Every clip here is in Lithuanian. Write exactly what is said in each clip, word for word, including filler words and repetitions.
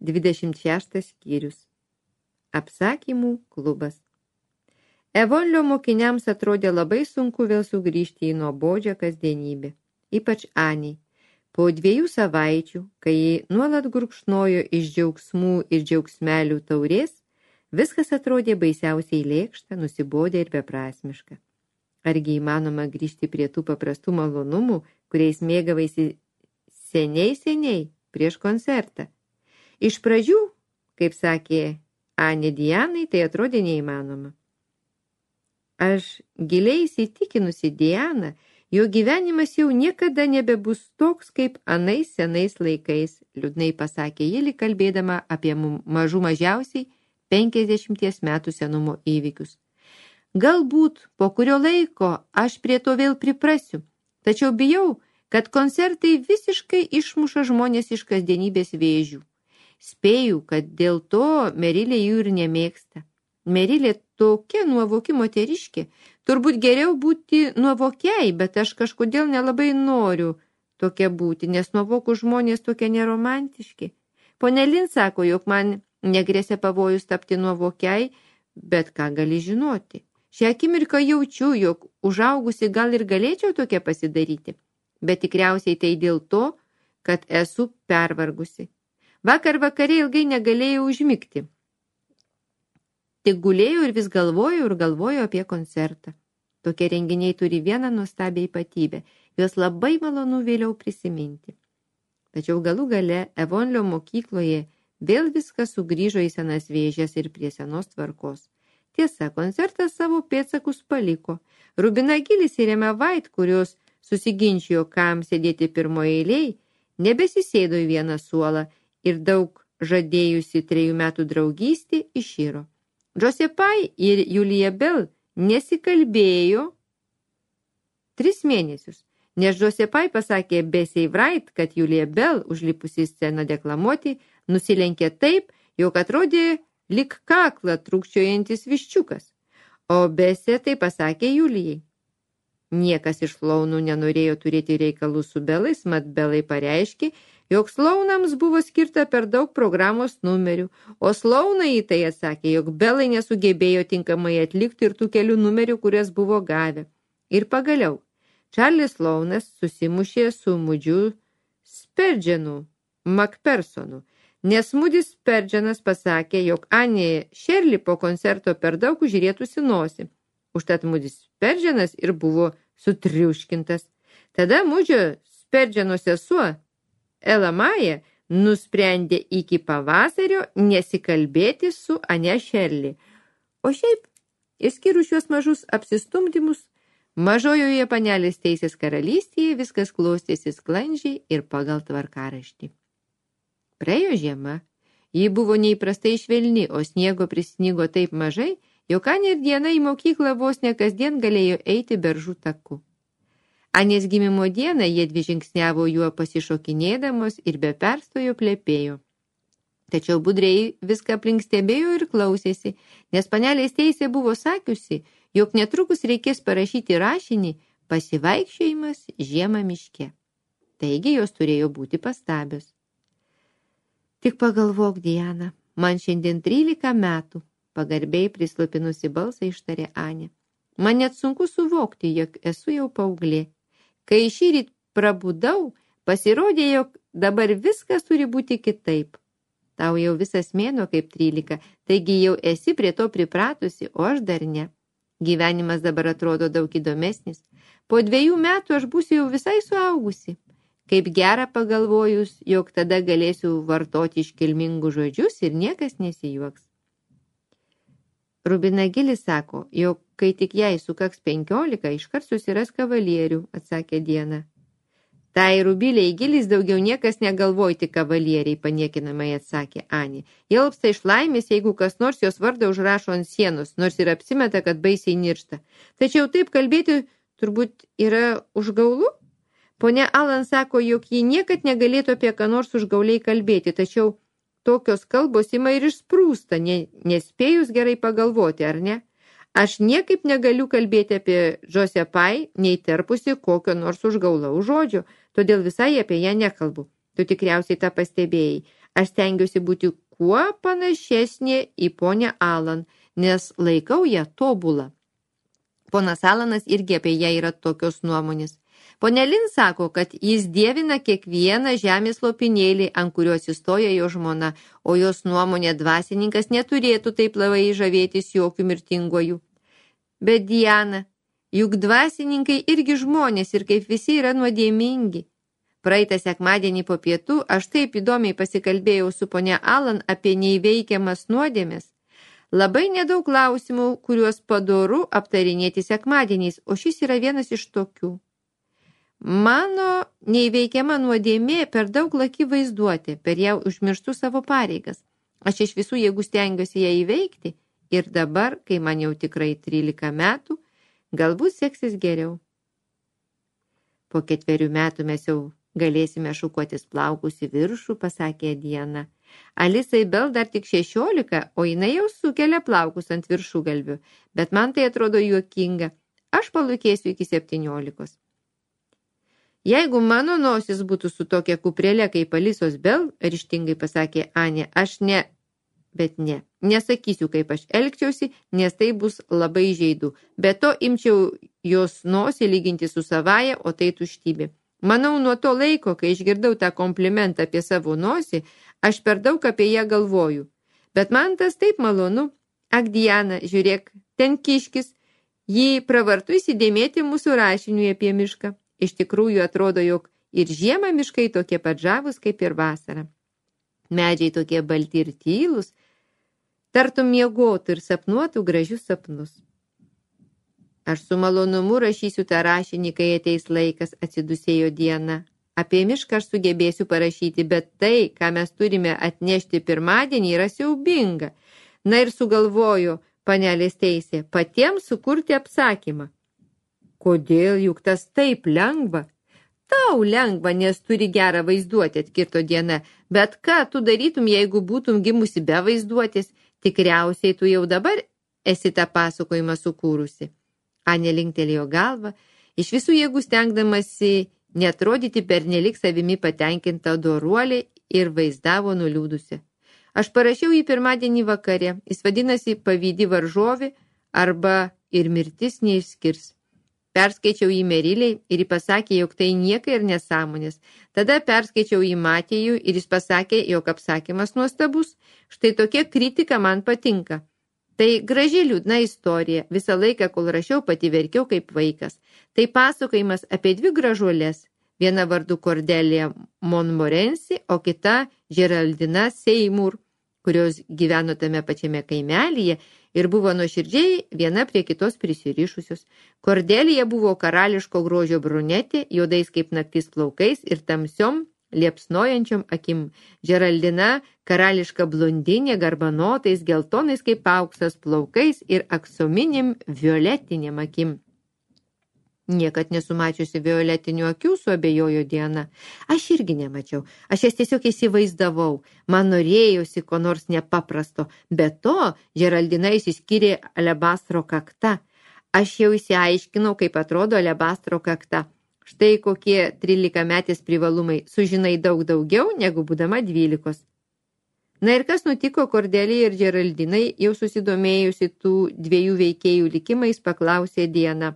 dvidešimt šeštas skyrius. Apsakymų klubas. Evonlio mokiniams atrodė labai sunku vėl sugrįžti į nuobodžią kasdienybę, ypač Aniai. Po dviejų savaičių, kai ji nuolat gurkšnojo iš džiaugsmų ir džiaugsmelių taurės, viskas atrodė baisiausiai lėkšta, nusibodę ir beprasmiška. Argi įmanoma grįžti prie tų paprastų malonumų, kuriais mėgavaisi seniai seniai prieš koncertą? Iš pradžių, kaip sakė Anė Dianai, tai atrodė neįmanoma. Aš giliai įsitikinusi Diana, jo gyvenimas jau niekada nebebus toks, kaip anais senais laikais, liūdnai pasakė ji, lyg kalbėdama apie mažų mažiausiai penkiasdešimties metų senumo įvykius. Galbūt po kurio laiko aš prie to vėl priprasiu, tačiau bijau, kad koncertai visiškai išmuša žmonės iš kasdienybės vėžių. Spėju, kad dėl to Merilė jų ir nemėgsta. Merilė tokia nuovoki moteriškė, turbūt geriau būti nuovokiai, bet aš kažkodėl nelabai noriu tokia būti, nes nuovokų žmonės tokie neromantiški. Pone Lin sako, jog man negrėsia pavojus tapti nuovokiai, bet ką gali žinoti. Šią akimirką jaučiu, jog užaugusi gal ir galėčiau tokia pasidaryti, bet tikriausiai tai dėl to, kad esu pervargusi. Vakar vakare ilgai negalėjau užmigti. Tik gulėjau ir vis galvojau ir galvojau apie koncertą. Tokie renginiai turi vieną nuostabią ypatybę. Jos labai malonu vėliau prisiminti. Tačiau galų gale Evonlio mokykloje vėl viskas sugrįžo į senas vėžes ir prie senos tvarkos. Tiesa, koncertas savo pėdsakus paliko. Rubina Gilis ir Emma White, kurios susiginčijo, kam sėdėti pirmoje eilėje, nebesisėdo į vieną suolą ir daug žadėjusi trejų metų draugystį iširo. Josepai ir Julia Bell nesikalbėjo tris mėnesius, nes Josepai pasakė Bessie Wright, kad Julia Bell, užlipusi sceną deklamuoti, nusilenkė taip, jog atrodė lyg kaklą trūkčiojantis viščiukas, o Bessie tai pasakė Julijai. Niekas iš slaunų nenorėjo turėti reikalų su Belais, mat Belai pareiškė, jog slaunams buvo skirta per daug programos numerių, o slaunai į tai atsakė, jog Belai nesugebėjo tinkamai atlikti ir tų kelių numerių, kurias buvo gavę. Ir pagaliau, Čarlis Slaunas susimušė su Mudžiu Sperdženu Makpersonu, nes Mudis Sperdženas pasakė, jog Anė Šerli po koncerto per daug užrietusi nosį. Užtat Mudis Sperdženas ir buvo sutriuškintas. Tada Mudžio Sperdženo sesuo Ela Maja nusprendė iki pavasario nesikalbėti su Ane Šerli. O šiaip, išskyrus šios mažus apsistumdymus, mažojoje panelės teisės karalystėje viskas klostėsi sklandžiai ir pagal tvarkaraštį. Praėjo žiema, ji buvo neįprastai švelni, o sniego prisnigo taip mažai, jog Anė ir Diana į mokyklą vos ne kasdien galėjo eiti beržų taku. Anės gimimo dieną jie dvi žingsniavo juo pasišokinėdamos ir be perstojo plepėjo. Tačiau budriai viską aplink stebėjo ir klausėsi, nes panelės teisė buvo sakiusi, jog netrukus reikės parašyti rašinį pasivaikščiojimas žiemą miške. Taigi jos turėjo būti pastabios. Tik pagalvok, Diana, man šiandien trylika metų, pagarbiai prislopinusi balsą ištarė Anė. Man net sunku suvokti, jog esu jau paauglė. Kai šįryt prabudau, pasirodė, jog dabar viskas turi būti kitaip. Tau jau visas mėnuo kaip trylika, taigi jau esi prie to pripratusi, o aš dar ne. Gyvenimas dabar atrodo daug įdomesnis. Po dviejų metų aš būsiu jau visai suaugusi. Kaip gera pagalvojus, jog tada galėsiu vartoti iškilmingus žodžius ir niekas nesijuoks. Rubina Gilis sako, jog kai tik jai sukaks penkiolika, iškart susiras kavalierių, atsakė Diana. Tai Rubiliai Gilis daugiau niekas negalvoja, tik kavalieriai, paniekinamai atsakė Anė. Jie alpsta iš laimės, jeigu kas nors jos vardą užrašo ant sienos, nors ir apsimeta, kad baisiai niršta. Tačiau taip kalbėti turbūt yra užgaulu? Ponia Alan sako, jog ji niekad negalėtų apie ką nors užgauliai kalbėti, tačiau tokios kalbos ima ir išsprūsta, ne, nespėjus gerai pagalvoti, ar ne? Aš niekaip negaliu kalbėti apie Josepai, neįterpusi kokio nors užgaulaus žodžio, todėl visai apie ją nekalbu. Tu tikriausiai tą pastebėjai. Aš stengiuosi būti kuo panašesnė į ponę Alan, nes laikau ją tobulą. Ponas Alanas irgi apie ją yra tokios nuomonės. Pone Lin sako, kad jis dievina kiekvieną žemės lopinėlį, ant kurio atsistoja jo žmona, o jos nuomonė dvasininkas neturėtų taip labai žavėtis jokių mirtinguoju. Bet Diana, juk dvasininkai irgi žmonės ir kaip visi yra nuodėmingi. Praeitą sekmadienį po pietų aš taip įdomiai pasikalbėjau su ponia Alan apie neįveikiamas nuodėmes. Labai nedaug klausimų, kuriuos padoru aptarinėti sekmadieniais, o šis yra vienas iš tokių. Mano neįveikiama nuodėmė per daug laki vaizduoti, per ją užmirštų savo pareigas. Aš iš visų jėgų stengiuosi ją įveikti ir dabar, kai man jau tikrai trylika metų, galbūt seksis geriau. Po ketverių metų mes jau galėsime šukuotis plaukus į viršų, pasakė Diana. Alisai Bell dar tik šešiolika, o jinai jau sukelia plaukus ant viršugalvių, bet man tai atrodo juokinga. Aš palūkėsiu iki septyniolikos. Jeigu mano nosis būtų su tokia kuprelė kaip Alisos Bell, ryžtingai pasakė Anė, aš ne, bet ne, nesakysiu, kaip aš elgčiausi, nes tai bus labai žaidu. Be to imčiau jos nosį lyginti su savaja, o tai tuštybė. Manau, nuo to laiko, kai išgirdau tą komplimentą apie savo nosį, aš per daug apie ją galvoju. Bet man tas taip malonu. Ak, Diana, žiūrėk, ten kiškis, jį pravartu įsidėmėti mūsų rašiniui apie mišką. Iš tikrųjų atrodo, jog ir žiemą miškai tokie pat žavūs kaip ir vasarą. Medžiai tokie balti ir tylūs, tartum miegotų ir sapnuotų gražius sapnus. Aš su malonumu rašysiu tą rašinį, kai ateis laikas, atsidusėjo Diana. Apie mišką aš sugebėsiu parašyti, bet tai, ką mes turime atnešti pirmadienį, yra siaubinga. Na ir sugalvojo, panelės teisė, patiems sukurti apsakymą. Kodėl, juk tas taip lengva? Tau lengva, nes turi gerą vaizduotę, atkirto Diana. Bet ką tu darytum, jeigu būtum gimusi be vaizduotės? Tikriausiai tu jau dabar esi tą pasakojimą sukūrusi. Anė linktelėjo galvą, iš visų jėgų stengdamasi netrodyti pernelik savimi patenkinta doruolė ir vaizdavo nuliūdusi. Aš parašiau jį pirmadienį vakare, jis vadinasi Pavydi varžovė arba Ir mirtis neišskirs. Perskaičiau jį Meriliai ir jis pasakė, jog tai nieka ir nesąmonės. Tada perskaičiau jį Matėjų ir jis pasakė, jog apsakymas nuostabus. Štai tokia kritika man patinka. Tai graži liūdna istorija. Visą laiką, kol rašiau, pati verkiau kaip vaikas. Tai pasakojimas apie dvi gražuolės. Viena vardu Cordelia Montmorency, o kita Geraldina Seymour, kurios gyveno tame pačiame kaimelyje ir buvo nuoširdžiai viena prie kitos prisirišusios. Cordelia buvo karališko grožio brunetė, juodais kaip naktis plaukais ir tamsiom liepsnojančiom akim. Geraldina karališka blondinė, garbanotais, geltonais kaip auksas plaukais ir aksominėm violetinėm akim. Niekad nesumačiusi violetinių akių, suabejojo Diana. Aš irgi nemačiau. Aš jas tiesiog įsivaizdavau. Man norėjosi ko nors nepaprasto. Be to, Geraldina išsiskyrė alebastro kakta. Aš jau įsiaiškinau, kaip atrodo alebastro kakta. Štai kokie trylikametės privalumai. Sužinai daug daugiau, negu būdama dvylikos. Na ir kas nutiko Cordelia ir Geraldinai, jau susidomėjusi tų dviejų veikėjų likimais, paklausė Diana.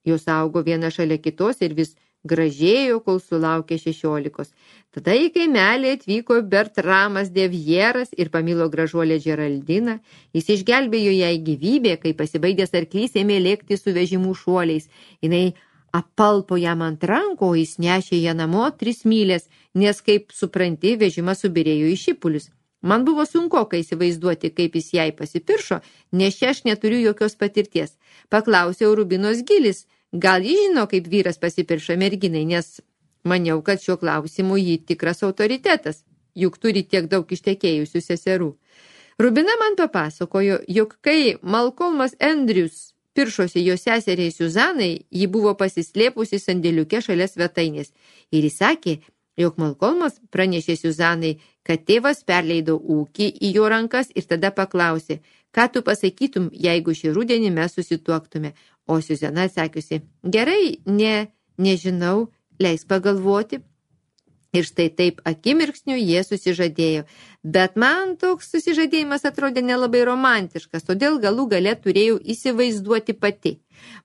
Jos augo viena šalia kitos ir vis gražėjo, kol sulaukė šešiolikos. Tada į kaimelį atvyko Bertramas Devieras ir pamilo gražuolę Geraldiną. Jis išgelbėjo jai gyvybę, kai pasibaigęs arklys ėmė lėkti su vežimų šuoliais. Jinai apalpo jam ant rankų, o jis nešė ją namo tris mylės, nes, kaip supranti, vežimas subirėjo į šipulius. Man buvo sunku, kai įsivaizduoti, kaip jis jai pasipiršo, nes čia aš neturiu jokios patirties. Paklausiau Rubinos Gilis, gal jis žino, kaip vyras pasipirša merginai, nes maniau, kad šiuo klausimu jį tikras autoritetas, juk turi tiek daug ištekėjusių seserų. Rubina man papasakojo, jog kai Malcolmas Andrews piršosi jo seseriai Suzanai, ji buvo pasislėpusi sandėliuke šalia svetainės. Ir jis sakė, jog Malcolmas pranešė Suzanai, kad tėvas perleido ūkį į jo rankas ir tada paklausė, ką tu pasakytum, jeigu šį rudenį mes susituoktume. O Suzana atsakiusi, gerai, ne, nežinau, leis pagalvoti. Ir štai taip akimirksniu jie susižadėjo. Bet man toks susižadėjimas atrodė nelabai romantiškas, todėl galų gale turėjau įsivaizduoti pati.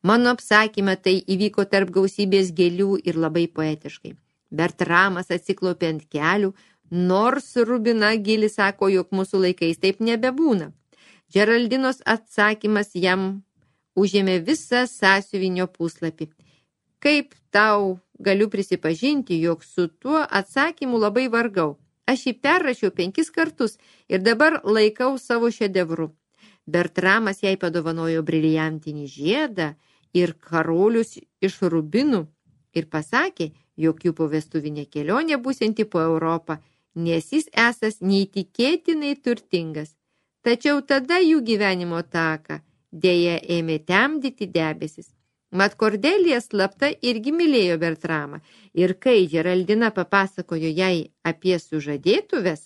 Mano apsakyme tai įvyko tarp gausybės gėlių ir labai poetiškai. Bertramas atsiklaupė ant kelių, nors Rubina Gilis sako, jog mūsų laikais taip nebebūna. Džeraldinos atsakymas jam užėmė visą sąsiuvinio puslapį. Kaip tau galiu prisipažinti, jog su tuo atsakymu labai vargau. Aš jį perrašiau penkis kartus ir dabar laikau savo šedevru. Bertramas jai padovanojo briliantinį žiedą ir karolius iš rubinų ir pasakė, jog jų povestuvinė kelionė būsianti po Europą, nes jis esas neįtikėtinai turtingas. Tačiau tada jų gyvenimo taką dėja ėmė temdyti debesis. Mat Kordelija slapta irgi mylėjo Bertramą ir kai Džeraldina papasakojo jai apie sužadėtuves,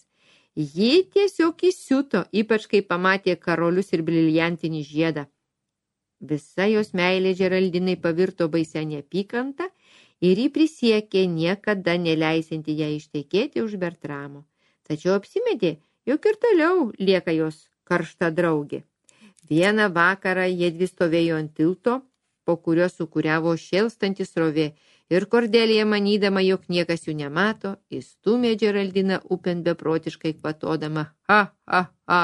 ji tiesiog įsiuto, ypač kai pamatė karolius ir briliantinį žiedą. Visa jos meilė Džeraldinai pavirto baisia neapykanta ir ji prisiekė niekada neleisinti ją ištekėti už Bertramo. Tačiau apsimetė, jog ir toliau lieka jos karšta draugė. Vieną vakarą jiedvi stovėjo ant tilto, po kurio sukuriavo šėlstantis srovė, ir Kordelija, manydama, jog niekas jų nemato, įstūmė Džeraldiną upėn beprotiškai kvatodama. Ha, ha, ha.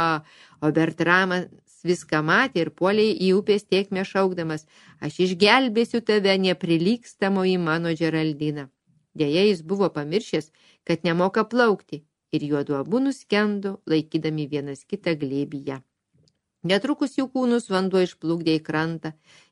O Bertramas viską matė ir puolė į upės tėkmę šaukdamas, aš išgelbėsiu tave, neprilygstamoji mano Džeraldina. Deja, jis buvo pamiršęs, kad nemoka plaukti, ir juodu abu nuskendo, laikydami vienas kitą glėbyje. Netrukus jų kūnus vanduo išplukdė į krantą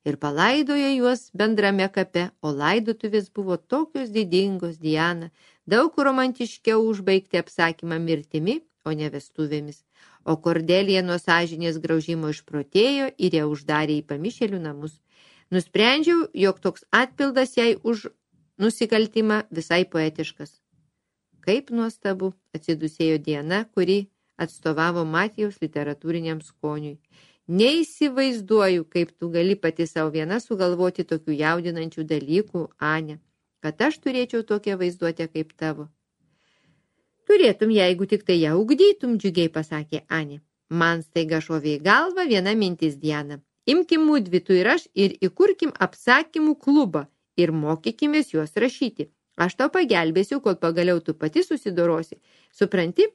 ir palaidojo juos bendrame kape, o laidotuvės buvo tokios didingos, Diana, daug romantiškiau užbaigti apsakymą mirtimi, o ne vestuvėmis. O Kordelija nuo sąžinės graužimo išprotėjo ir ją uždarė į pamišėlių namus. Nusprendžiau, jog toks atpildas jai už nusikaltimą visai poetiškas. Kaip nuostabu, atsidusėjo Diana, kuri atstovavo Matijaus literatūriniam skoniui. Neįsivaizduoju, kaip tu gali pati savo viena sugalvoti tokių jaudinančių dalykų, Ane, kad aš turėčiau tokią vaizduotę kaip tavo. Turėtum, jeigu tik tai ją ugdytum, džiugiai pasakė Anė. Man staiga šovė į galvą viena mintis, Diana. Imkim mudvi tu ir aš ir įkurkim apsakymų klubą ir mokykimės juos rašyti. Aš tau pagelbėsiu, kol pagaliau tu pati susidorosi. Supranti?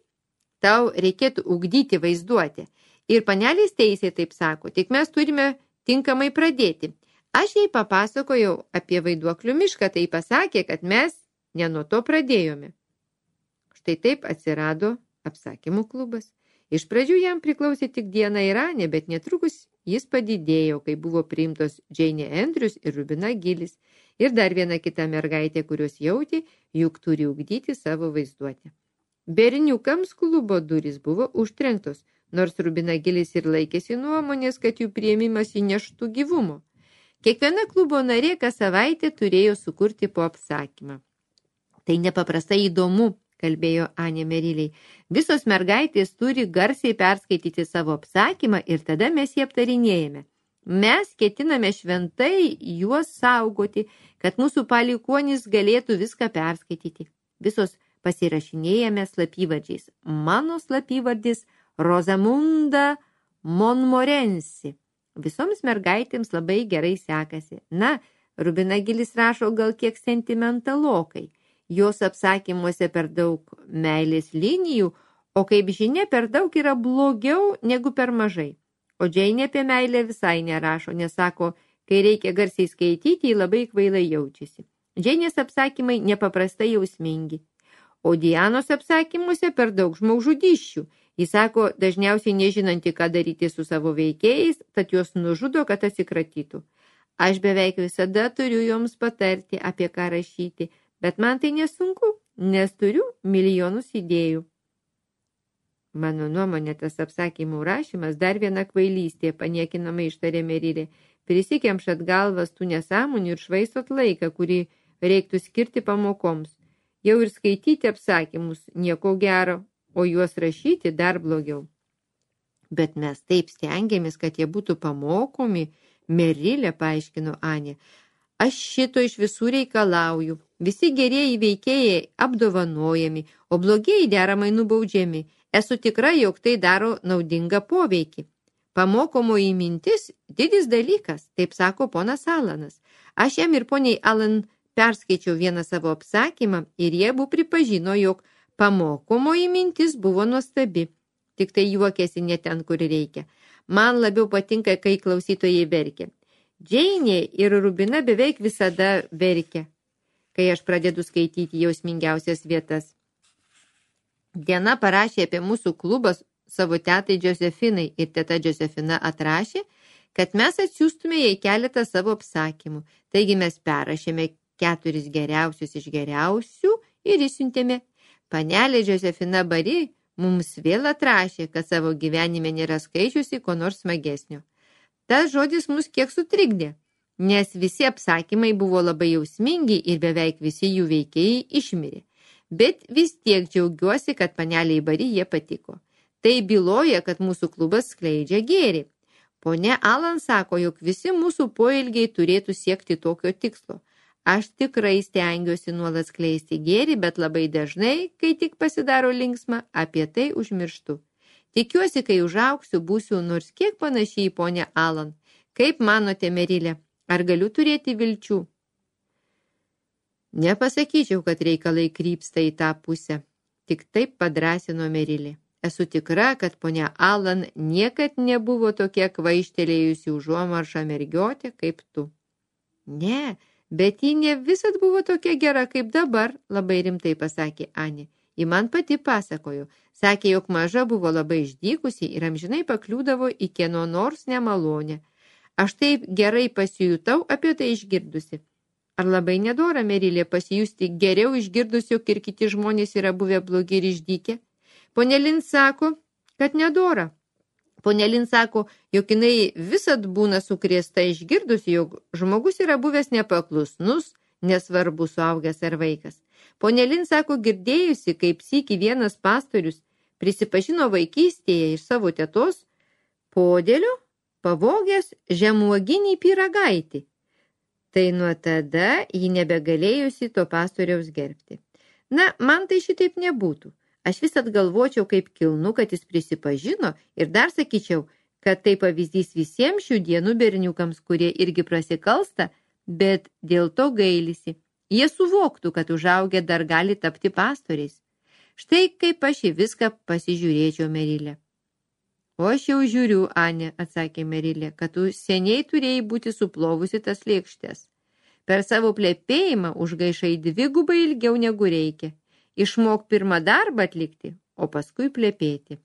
Tau reikėtų ugdyti vaizduotę. Ir panelės teisė taip sako, tik mes turime tinkamai pradėti. Aš jai papasakojau apie vaiduoklių mišką, tai pasakė, kad mes ne nuo to pradėjome. Štai taip atsirado apsakymų klubas. Iš pradžių jam priklausė tik Diana ir Anė, bet netrukus jis padidėjo, kai buvo priimtos Džeinė Andrews ir Rubina Gilis ir dar viena kita mergaitė, kurios jautė, juk turi ugdyti savo vaizduotę. Berniukams klubo durys buvo užtrenktos, nors Rubina Gilis ir laikėsi nuomonės, kad jų priėmimas įneštų gyvumo. Kiekviena klubo narė kas savaitę turėjo sukurti po apsakymą. Tai nepaprastai įdomu, kalbėjo Anė Meriliai. Visos mergaitės turi garsiai perskaityti savo apsakymą ir tada mes jį aptarinėjame. Mes ketiname šventai juos saugoti, kad mūsų palikuonys galėtų viską perskaityti. Visos pasirašinėjame slapyvardžiais. Mano slapyvardis Rosamunda Montmorency. Visoms mergaitėms labai gerai sekasi. Na, Rubina Gilis rašo gal kiek sentimentalokai. Jos apsakymuose per daug meilės linijų, o kaip žinia, per daug yra blogiau negu per mažai. O Džeinė apie meilę visai nerašo, nes sako, kai reikia garsiai skaityti, ji labai kvailai jaučiasi. Džeinės apsakymai nepaprastai jausmingi. O Dianos apsakymuose per daug žmogžudysčių. Jis sako, dažniausiai nežinanti, ką daryti su savo veikėjais, tad juos nužudo, kad atsikratytų. Aš beveik visada turiu joms patarti, apie ką rašyti, bet man tai nesunku, nes turiu milijonus idėjų. Mano nuomonė, tas apsakymų rašymas dar viena kvailystė, paniekinamai ištarė Merilė. Prisikemšat galvas tų nesąmonių ir švaistot laiką, kurį reiktų skirti pamokoms. Jau ir skaityti apsakymus nieko gero, o juos rašyti dar blogiau. Bet mes taip stengiamės, kad jie būtų pamokomi, Merilė, paaiškino Anė. Aš šito iš visų reikalauju. Visi gerieji veikėjai apdovanojami, o blogieji deramai nubaudžiami. Esu tikra, jog tai daro naudingą poveikį. Pamokomoji mintis – didis dalykas, taip sako ponas Alanas. Aš jam ir poniai Alan perskaičiau vieną savo apsakymą ir jie abu pripažino, jog pamokomoji mintis buvo nuostabi. Tik tai juokėsi ne ten, kur reikia. Man labiau patinka, kai klausytojai verkia. Džeinė ir Rubina beveik visada verkia, kai aš pradedu skaityti jausmingiausias vietas. Diena parašė apie mūsų klubą savo tetai Josefinai ir teta Josefina atrašė, kad mes atsiųstume jai keletą savo apsakymų. Taigi mes perrašėme keturis geriausius iš geriausių ir išsiuntėme. Panelė Josefina Bari mums vėl atrašė, kad savo gyvenime nėra skaičiusi ko nors smagesnio. Tas žodis mus kiek sutrikdė, nes visi apsakymai buvo labai jausmingi ir beveik visi jų veikėjai išmirė. Bet vis tiek džiaugiuosi, kad paneliai Bari jie patiko. Tai byloja, kad mūsų klubas skleidžia gėrį. Ponia Alan sako, jog visi mūsų poelgiai turėtų siekti tokio tikslo. Aš tikrai stengiuosi nuolat skleisti gėrį, bet labai dažnai, kai tik pasidaro linksma, apie tai užmirštu. Tikiuosi, kai užaugsiu, būsiu nors kiek panašiai į ponę Alan. Kaip manote, Merilė, ar galiu turėti vilčių? Nepasakyčiau, kad reikalai krypsta į tą pusę. Tik taip padrąsino Merilė. Esu tikra, kad ponia Alan niekad nebuvo tokia kvaištelėjusi užuomaršą mergiotė kaip tu. Ne, bet ji ne visad buvo tokia gera kaip dabar, labai rimtai pasakė Anė. Ji man pati pasakojo. Sakė, jog maža buvo labai išdykusi ir amžinai pakliūdavo į kieno nors nemalonę. Aš taip gerai pasijutau apie tai išgirdusi. Ar labai nedora, Merilė, pasijusti geriau išgirdus, jog ir kiti žmonės yra buvę blogi ir išdykę? Ponė Lin sako, kad nedora. Ponė Lin sako, jog jinai visad būna sukrėsta išgirdus, jog žmogus yra buvęs nepaklusnus, nesvarbu suaugęs ar vaikas. Ponė Lin sako, girdėjusi, kaip sykį vienas pastorius prisipažino vaikystėje iš savo tetos podėlio pavogęs žemuoginį pyragaitį. Tai nuo tada ji nebegalėjusi to pastoriaus gerbti. Na, man tai šitaip nebūtų. Aš visad galvočiau, kaip kilnu, kad jis prisipažino ir dar sakyčiau, kad tai pavyzdys visiems šių dienų berniukams, kurie irgi prasikalsta, bet dėl to gailisi. Jie suvoktų, kad užaugę dar gali tapti pastoriais. Štai kaip aš į viską pasižiūrėčiau, Merilė. O aš jau žiūriu, Anė, atsakė Merilė, kad tu seniai turėjai būti suplovusi tas lėkštes. Per savo plepėjimą užgaišai dvigubai ilgiau negu reikia. Išmok pirmą darbą atlikti, o paskui plepėti.